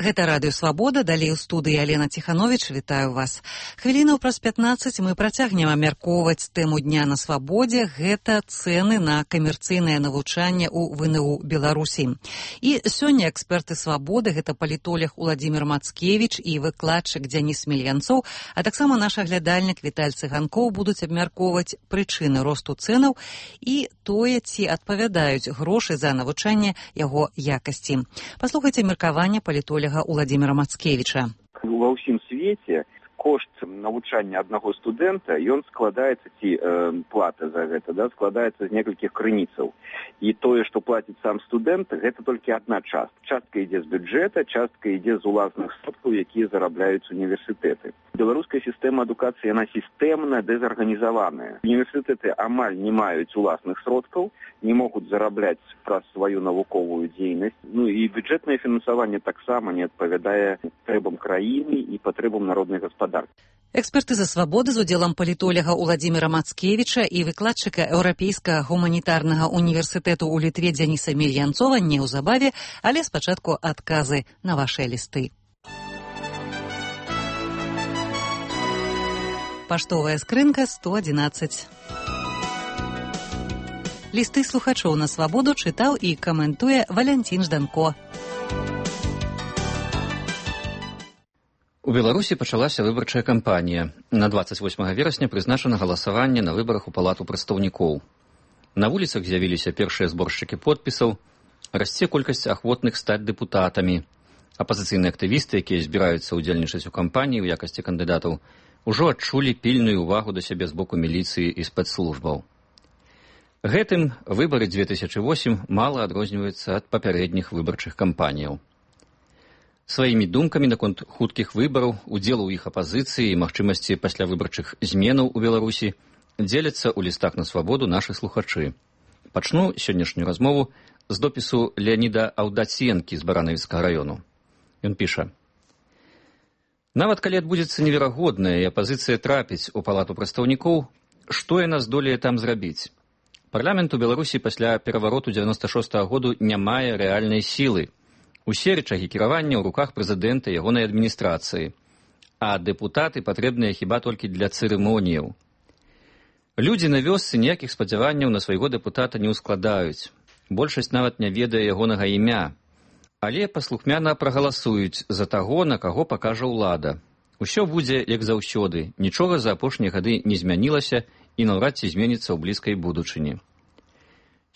Гэта радыё «Свабода», далей у студыі Алена Ціхановіч. Вітаю вас. Хвілінаў праз 15 мы працягнем абмяркоўваць тэму дня на свабодзе. Гэта цэны на камерцыйнае навучанне ў ВНУ Беларусі. І сёння эксперты «Свабоды», гэта палітолог Уладзімір Мацкевіч і выкладчык Дзяніс Мільянцоў, а таксама наш аглядальнік Віталь Цыганкоў будуць абмяркоўваць прычыны росту цэнаў і тое, ці адпавядаюць грошы за навучанне яго якасці. Паслухайце меркаванне палітолога Уладзіміра Мацкевіча. Ва ўсім свеце кошт навучання аднаго студэнта, ён складаецца, ці плата за гэта, складаецца з некалькіх крыніцаў. І тое, што плаціць сам студэнт, гэта толькі адна частка. Частка ідзе з бюджэта, частка ідзе з уласных сродкаў, якія зарабляюць універсітэты. Беларуская сістэма адукацыі, яна сістэмна дэзарганізаваная. Універсітэты амаль не маюць уласных сродкаў, не могуць зарабляць праз сваю навуковую дзейнасць. І бюджэтнае фінансаванне таксама не адпавядае патрэбам краіны і патрэбам народнай гаспадаркі. Эксперты за свабоды з удзелам палітолага Уладзіміра Мацкевіча і выкладчыка Еўрапейскага гуманітарнага універсітэту ў Літве Дзяніса Мільянцова неўзабаве, але спачатку адказы на вашыя лісты. Паштовая скрынка 111. Лісты слухачоў на свабоду чытаў і каментуе Валянцін Жданко. У Беларусі пачалася выбарчая кампанія. На 28 верасня прызначана галасаванне на выбарах у Палату прадстаўнікоў. На вуліцах з'явіліся першыя зборшчыкі подпісаў, расце колькасць ахвотных стаць дэпутатамі. Апазіцыйныя актывісты, якія збіраюцца ўдзельнічаць у кампаніі ў якасці кандыдатаў, ужо адчулі пільную ўвагу да сябе з боку міліцыі і спецслужбаў. Гэтым выбары 2008 мала адрозніваюцца ад папярэдніх выбарчых кампаніяў. Сваімі думкамі наконт хуткіх выбараў, удзелу ў іх апазіцыі і магчымасці паслявыбарчых зменаў у Беларусі дзеляцца ў лістах на свабоду нашы слухачы. Пачну сённяшнюю размову з допісу Леаніда Аўдаценкі з Баранавіцкага раёну. Ён піша: «Нават калі адбудзецца неверагодная і апазіцыя трапіць у Палату прадстаўнікоў, што яна здолее там зрабіць? Парламент у Беларусі пасля перавароту 96-го году не мае рэальнай сілы. Усе рычагі кіравання ў руках прэзідэнта і ягонай адміністрацыі, а дэпутаты патрэбныя хіба толькі для цырымоніяў. Людзі на вёсцы ніякіх спадзяванняў на свайго дэпутата не ўскладаюць. Большасць нават не ведае ягонага імя, але паслухмяна прагаласуюць за таго, на каго пакажа ўлада. Усё будзе як заўсёды, нічога за апошнія гады не змянілася і наўрад ці зменіцца ў блізкай будучыні.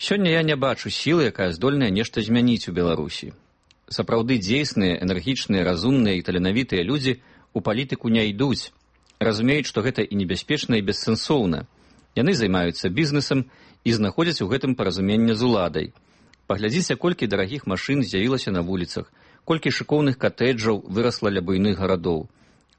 Сёння я не бачу сілы, якая здольная нешта змяніць у Беларусі. Сапраўды дзейсныя, энергічныя, разумныя і таленавітыя людзі у палітыку не ідуць, разумеюць, што гэта і небяспечна, і бессэнсоўна. Яны займаюцца бізнесам і знаходзяць у гэтым паразуменне з уладай. Паглядзіце, колькі дарагіх машын з'явілася на вуліцах, колькі шыкоўных катэджаў вырасла ля буйных гарадоў.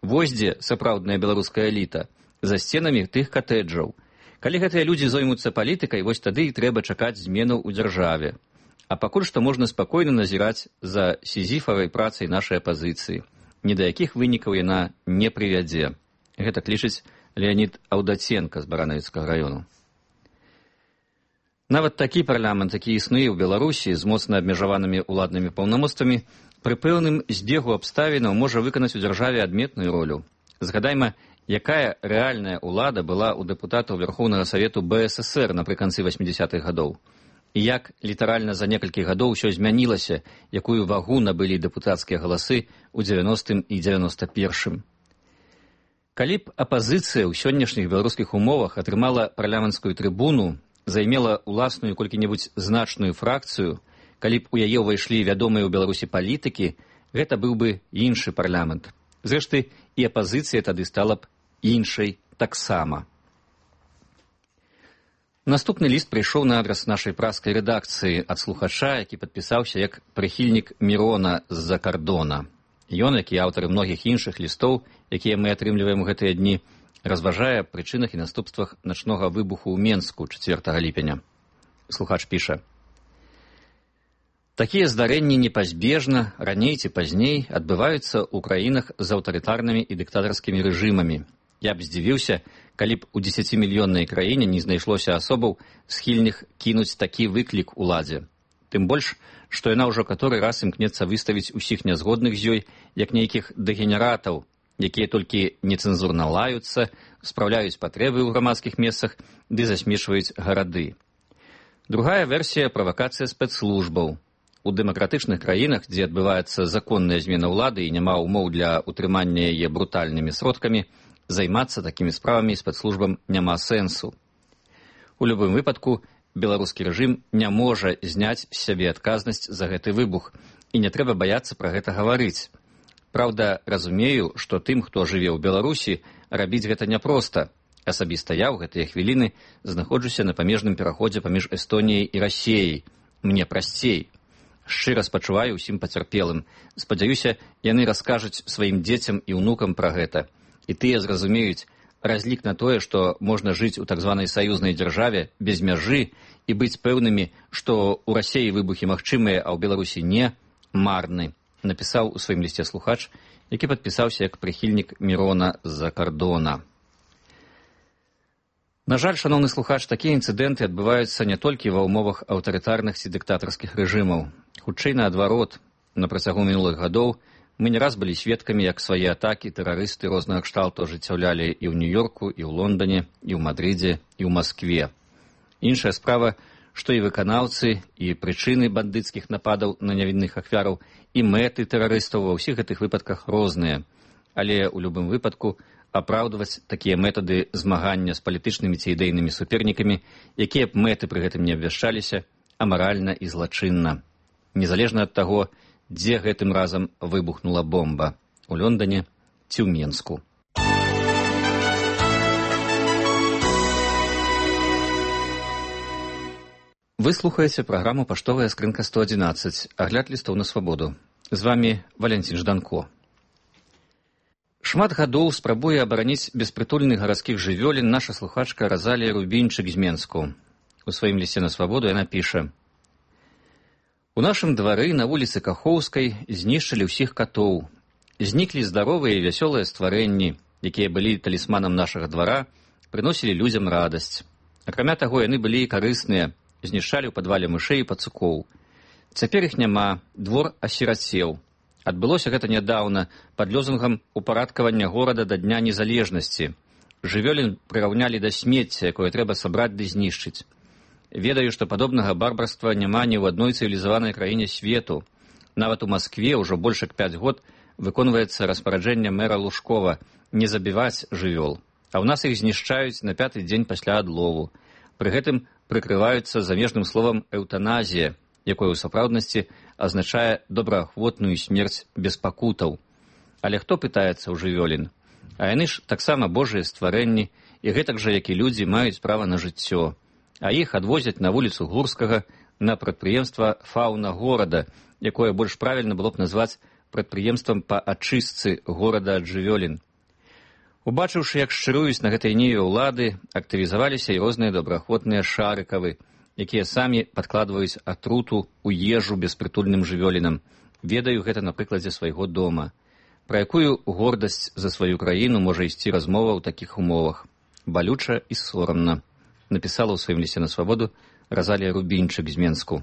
Вось дзе сапраўдная беларуская эліта, за сценамі тых катэджаў. Калі гэтыя людзі зоймуцца палітыкай, вось тады і трэба чакаць зменаў у дзяржаве. А пакуль што можна спакойна назіраць за сізіфавай працай нашай апазіцыі. Ні да якіх вынікаў яна не прывядзе. Гэта лічыць Леанід Аўдаценка з Баранавіцкага раёну. Нават такі парламент, які існуе ў Беларусі з моцна абмежаванымі ўладнымі паўнамоцтвамі, пры пэўным збегу абставінаў можа выканаць у дзяржаве адметную ролю. Згадайма, якая рэальная ўлада была ў дэпутатаў Верхоўнага Савету БССР напрыканцы 80-х гадоў. І як літаральна за некалькі гадоў усё змянілася, якую вагу набылі дэпутацкія галасы ў 90-м і 91-м. Калі б апазіцыя ў сённяшніх беларускіх умовах атрымала парламенцкую трыбуну, займела ўласную колькі-небудзь значную фракцыю, калі б у яе ўвайшлі вядомыя ў Беларусі палітыкі, гэта быў бы іншы парламент. Зрэшты, і апазіцыя тады стала б іншай таксама. Наступны ліст прыйшоў на адрас нашай праскай рэдакцыі ад слухача, які падпісаўся як прыхільнік Мірона з-за кардона. Ён, як і аўтары многіх іншых лістоў, якія мы атрымліваем у гэтыя дні, разважае аб прычынах і наступствах начнога выбуху ў Менску 4 ліпеня. Слухач піша: «Такія здарэнні непазбежна, раней ці пазней, адбываюцца ў краінах з аўтарытарнымі і дыктатарскімі рэжымамі. Я б здзівіўся, калі б у 10-мільённай краіне не знайшлося асобаў, схільных кінуць такі выклік уладзе. Тым больш, што яна ўжо каторы раз імкнецца выставіць усіх нязгодных з ёй, як нейкіх дэгенератаў, якія толькі нецэнзурна лаюцца, спраўляюць патрэбы ў грамадскіх месцах ды засмешваюць гарады. Другая версія – правакацыя спецслужбаў. У дэмакратычных краінах, дзе адбываецца законная змена ўлады і няма ўмоў для утрымання яе брутальнымі сродкамі, займацца такімі справамі спецслужбам няма сэнсу. У любым выпадку, беларускі рэжым не можа зняць з сябе адказнасць за гэты выбух, і не трэба баяцца пра гэта гаварыць. Праўда, разумею, што тым, хто жыве ў Беларусі, рабіць гэта няпроста. Асабіста я ў гэтыя хвіліны знаходжуся на памежным пераходзе паміж Эстоніяй і Расіяй. Мне прасцей. Шчыра спачуваю ўсім пацярпелым. Спадзяюся, яны раскажуць сваім дзецям і ўнукам пра гэта. І тыя зразумеюць, разлік на тое, што можна жыць у так званай саюзнай дзяржаве без мяжы і быць пэўнымі, што ў Расіі выбухі магчымыя, а ў Беларусі не, марны, напісаў у сваім лісце слухач, які падпісаўся як прыхільнік Мірона з-за кардона. На жаль, шаноўны слухач, такія інцыдэнты адбываюцца не толькі ва ўмовах аўтарытарных ці дыктатарскіх рэжымаў. Хутчэй наадварот, на працягу мінулых гадоў мы не раз былі сведкамі, як свае атакі тэрарысты рознага кшталту ажыццяўлялі і ў Нью-Йорку, і ў Лондане, і ў Мадрыдзе, і ў Маскве. Іншая справа, што і выканаўцы, і прычыны бандыцкіх нападаў на нявінных ахвяраў, і мэты тэрарыстаў ва ўсіх гэтых выпадках розныя. Але ў любым выпадку апраўдваць такія метады змагання з палітычнымі ці ідэйнымі супернікамі, якія б мэты пры гэтым не абвяшчаліся, амаральна і злачынна. Незалежна ад таго, дзе гэтым разам выбухнула бомба – у Лондане ці ў Менску. Вы слухаеце праграму «Паштовая скрынка 111», агляд лістоў на свабоду. З вамі Валянцін Жданко. Шмат гадоў спрабуе абараніць беспрытульных гарадскіх жывёлін наша слухачка Разалія Рубінчык з Менску. У сваім лісце на свабоду яна піша: «У нашым двары на вуліцы Кахоўскай знішчылі ўсіх катоў. Зніклі здаровыя і вясёлыя стварэнні, якія былі талісманам нашага двара, прыносілі людзям радасць. Акрамя таго, яны былі і карысныя, знішчалі ў падвале мышэй і пацукоў. Цяпер іх няма, двор асірацеў. Адбылося гэта нядаўна пад лозунгам упарадкавання горада да Дня незалежнасці. Жывёлін прыраўнялі да смецця, якое трэба сабраць ды знішчыць. Ведаю, што падобнага барбарства няма ні ў адной цывілізаванай краіне свету. Нават у Маскве ўжо больш як 5 год выконваецца распараджэнне мэра Лужкова не забіваць жывёл, а ў нас іх знішчаюць на 5-й дзень пасля адлову. Пры гэтым прыкрываюцца замежным словам «эўтаназія», якое ў сапраўднасці азначае добраахвотную смерць без пакутаў. Але хто пытаецца ў жывёлін? А яны ж таксама божыя стварэнні, і гэтак жа, як і людзі, маюць права на жыццё. А іх адвозяць на вуліцу Гурскага на прадпрыемства «Фаўна горада», якое больш правільна было б назваць прадпрыемствам па ачыстцы горада ад жывёлін. Убачыўшы, як шчыруюць на гэтай ніве ўлады, актывізаваліся і розныя добраахвотныя шарыкавы, якія самі падкладваюць атруту ў ежу беспрытульным жывёлінам. Ведаю гэта на прыкладзе свайго дома. Пра якую гордасць за сваю краіну можа ісці размова ў такіх умовах? Балюча і сорамна, напісала ў сваім лісце на свабоду Разалія Рубінчык з Менску.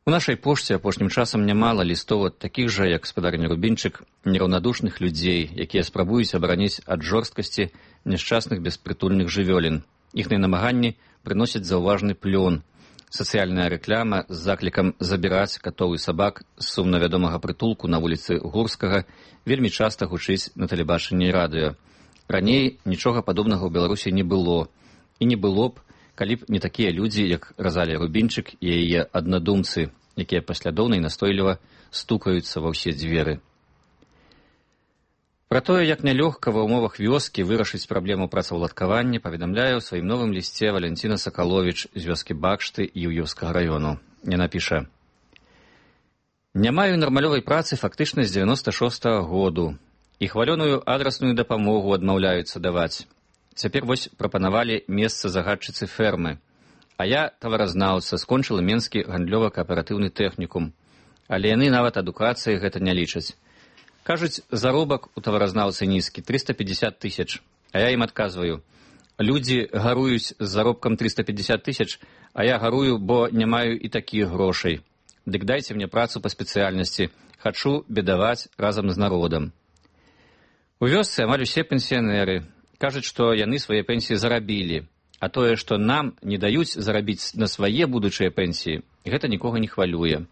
У нашай пошце апошнім часам нямала лістоў ад такіх жа, як гаспадарыня Рубінчык, нераўнадушных людзей, якія спрабуюць абараніць ад жорсткасці няшчасных беспрытульных жывёлін. Іхныя намаганні прыносяць заўважны плён. Сацыяльная рэкляма з заклікам забіраць катоў і сабак з сумна вядомага прытулку на вуліцы Гурскага вельмі часта гучыць на тэлебачанні і радыё. Раней нічога падобнага ў Беларусі не было. І не было б, калі б не такія людзі, як Разалія Рубінчык і яе аднадумцы, якія паслядоўна і настойліва стукаюцца ва ўсе дзверы. Пра тое, як нялёгка ва ўмовах вёскі вырашыць праблему працаўладкавання, паведамляе ў сваім новым лісце Валянціна Сакаловіч з вёскі Бакшты Іўёўскага раёну. Яна піша: «Не маю нармалёвай працы фактычна з 96-го году. І хвалёную адрасную дапамогу адмаўляюцца даваць. Цяпер вось прапанавалі месца загадчыцы фермы. А я, таваразнаўца, скончыла Менскі гандлёва-кааператыўны тэхнікум. Але яны нават адукацыяй гэта не лічаць. Кажуць, заробак у таваразнаўцы нізкі, 350 тысяч. А я ім адказваю, людзі гаруюць з заробкам 350 тысяч, а я гарую, бо не маю і такіх грошай. Дык дайце мне працу па спецыяльнасці, хачу бедаваць разам з народам. У вёсцы амаль усе пенсіянеры кажуць, што яны свае пенсіі зарабілі, а тое, што нам не даюць зарабіць на свае будучыя пенсіі, гэта нікога не хвалюе.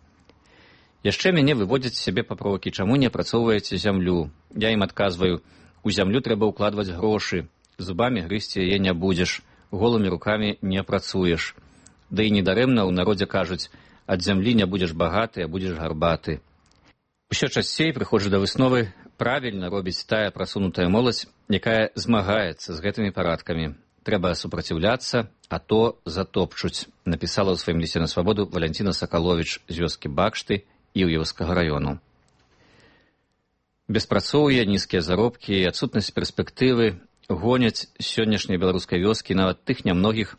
Яшчэ мяне выводзяць з сябе папрокі, чаму не апрацоўваеце зямлю. Я ім адказваю, у зямлю трэба ўкладваць грошы, зубамі грызці яе не будзеш, голымі рукамі не працуеш. Да і недарэмна ў народзе кажуць, ад зямлі не будзеш багаты, а будзеш гарбаты. Усё часцей прыходжу да высновы, правільна робіць тая прасунутая моладзь, якая змагаецца з гэтымі парадкамі. Трэба супраціўляцца, а то затопчуць, напісала ў сваім лісце на свабоду Валянціна Сакаловіч з вёскі Бакшты Іўеўскага раёну. Беспрацоўе, нізкія заробкі і адсутнасць перспектывы гоняць сённяшняй беларускай вёскі, нават тых нямногіх,